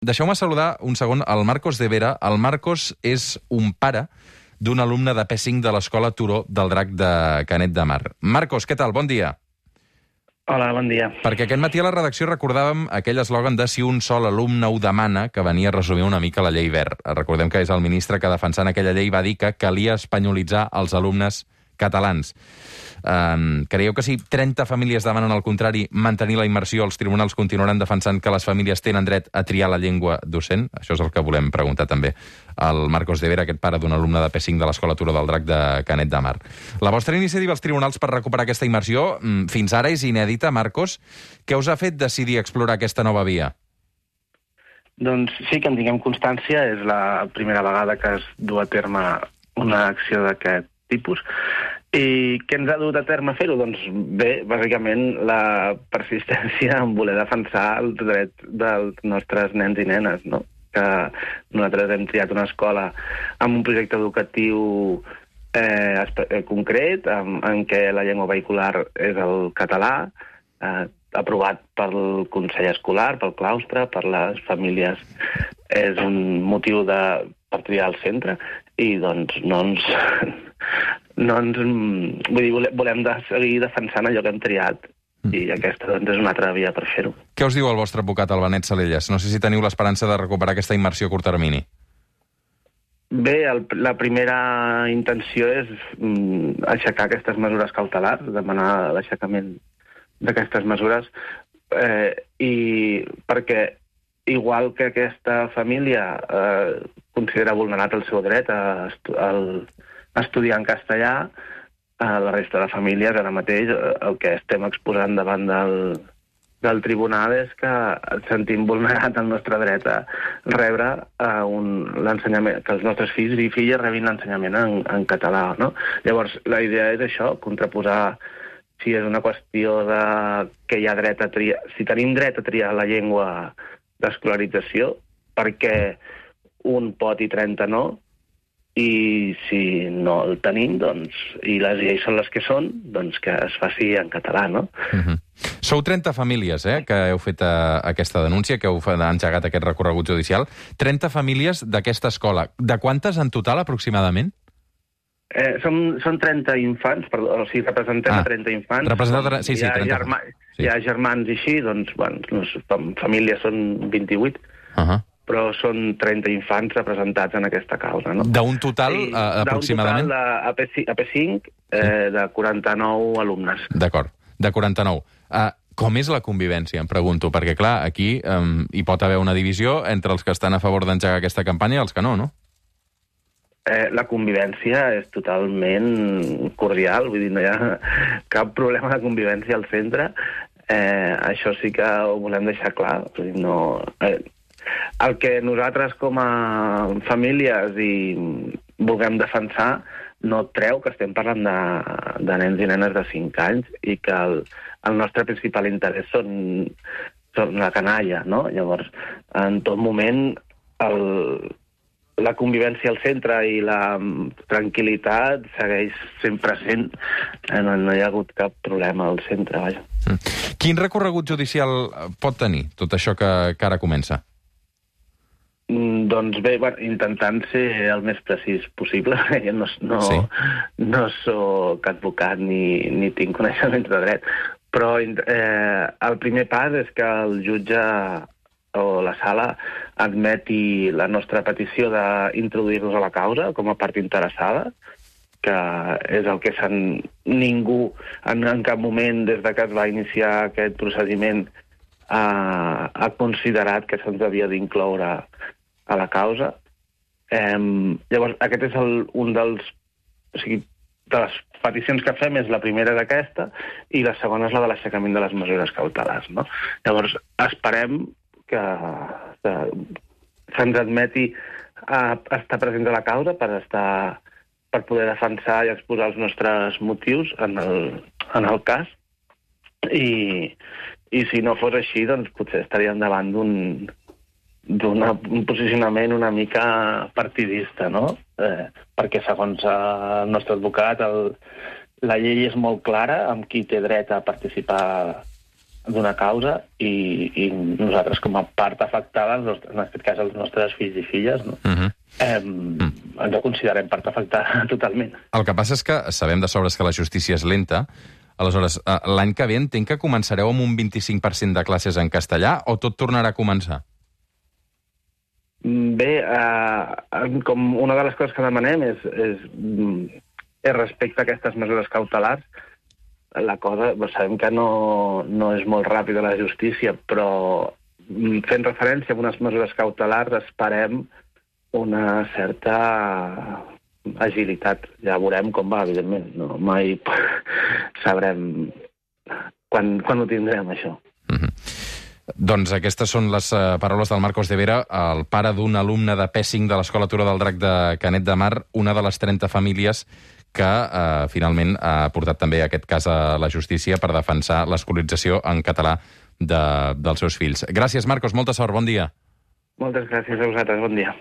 Deixeu-me saludar un segon el Marcos de Vera. El Marcos és un pare d'un alumne de P5 de l'Escola Turó del Drac de Canet de Mar. Marcos, què tal? Bon dia. Hola, bon dia. Perquè aquest matí a la redacció recordàvem aquell eslògan de si un sol alumne ho demana, que venia a resumir una mica la llei Wert. Recordem que és el ministre que defensant aquella llei va dir que calia espanyolitzar els alumnes catalans. Creieu que si 30 famílies demanen al contrari mantenir la immersió, els tribunals continuaran defensant que les famílies tenen dret a triar la llengua docent? Això és el que volem preguntar també al Marcos de Vera, aquest pare d'un alumne de P5 de l'Escola Turó del Drac de Canet de Mar. La vostra iniciativa als tribunals per recuperar aquesta immersió fins ara és inèdita, Marcos. Què us ha fet decidir explorar aquesta nova via? Doncs sí que en tinguem constància. És la primera vegada que es du a terme una acció d'aquest tipus. I què ens ha dut a terme fer-ho? Doncs bé, bàsicament la persistència en voler defensar els drets dels nostres nens i nenes, no? Que nosaltres hem triat una escola amb un projecte educatiu concret, en què la llengua vehicular és el català, aprovat pel Consell Escolar, pel claustre, per les famílies. És un motiu per triar el centre i doncs volem seguir defensant allò que hem triat i aquesta doncs, és una altra via per fer-ho. Què us diu el vostre advocat, el Benet Salelles? No sé si teniu l'esperança de recuperar aquesta immersió a curt termini. Bé, la primera intenció és aixecar aquestes mesures cautelars, demanar l'aixecament d'aquestes mesures, i perquè igual que aquesta família considera vulnerat el seu dret a estudiar en castellà, la resta de famílies ara mateix el que estem exposant davant del tribunal és que sentim vulnerat el nostre dret a rebre l'ensenyament, que els nostres fills i filles rebin l'ensenyament en català, no? Llavors, la idea és això, contraposar si és una qüestió de que hi ha dret a triar, si tenim dret a triar la llengua d'escolarització, perquè un pot i 30 no, i si no el tenim, doncs, i les lleis són les que són, doncs que es faci en català, no? Sou 30 famílies, que heu fet aquesta denúncia, que heu engegat aquest recorregut judicial. 30 famílies d'aquesta escola. De quantes en total, aproximadament? Són 30 infants, o sigui, representem 30 infants. Sí, 30. Hi ha germans i així, doncs, famílies són 28. Però són 30 infants representats en aquesta causa, no? D'un total, aproximadament? D'un total a P5 de 49 alumnes. D'acord, de 49. Com és la convivència, em pregunto? Perquè, clar, aquí hi pot haver una divisió entre els que estan a favor d'engegar aquesta campanya i els que no, no? La convivència és totalment cordial, vull dir, no hi ha cap problema de convivència al centre. Això sí que ho volem deixar clar. Vull dir, no... El que nosaltres com a famílies i vulguem defensar no treu que estem parlant de nens i nenes de 5 anys i que el nostre principal interès són la canalla, no? Llavors, en tot moment, la convivència al centre i la tranquil·litat segueix sempre sent. No hi ha hagut cap problema al centre, vaja. Quin recorregut judicial pot tenir tot això que ara comença? Doncs bé, intentant ser el més precís possible. Jo no soc advocat ni tinc coneixements de dret, però el primer pas és que el jutge o la sala admeti la nostra petició d'introduir-nos a la causa com a part interessada, que és el que ningú en cap moment des de que es va iniciar aquest procediment ha considerat que se'ns havia d'incloure a la causa. Llavors, aquest és un dels... O sigui, de les peticions que fem és la primera d'aquesta i la segona és la de l'aixecament de les mesures cautelars, no? Llavors, esperem que se'ns admeti a estar presents a la causa per poder defensar i exposar els nostres motius en el cas. I si no fos així, doncs potser estaríem davant d'un posicionament una mica partidista, no? Perquè, segons el nostre advocat, la llei és molt clara amb qui té dret a participar d'una causa i nosaltres, com a part afectada, en aquest cas els nostres fills i filles, no? Ens ho considerem part afectada totalment. El que passa és que sabem de sobres que la justícia és lenta. Aleshores, l'any que ve entenc que començareu amb un 25% de classes en castellà o tot tornarà a començar? Bé, com una de les coses que demanem és respecte a aquestes mesures cautelars. La cosa, sabem que no és molt ràpida la justícia, però fent referència a unes mesures cautelars esperem una certa agilitat. Ja veurem com va, evidentment. No, mai sabrem quan ho tindrem, això. Doncs aquestes són les paraules del Marcos de Vera, el pare d'un alumne de P5 de l'Escola Turó del Drac de Canet de Mar, una de les 30 famílies que finalment ha portat també aquest cas a la justícia per defensar l'escolarització en català dels seus fills. Gràcies, Marcos, molta sort, bon dia. Moltes gràcies a vosaltres, bon dia.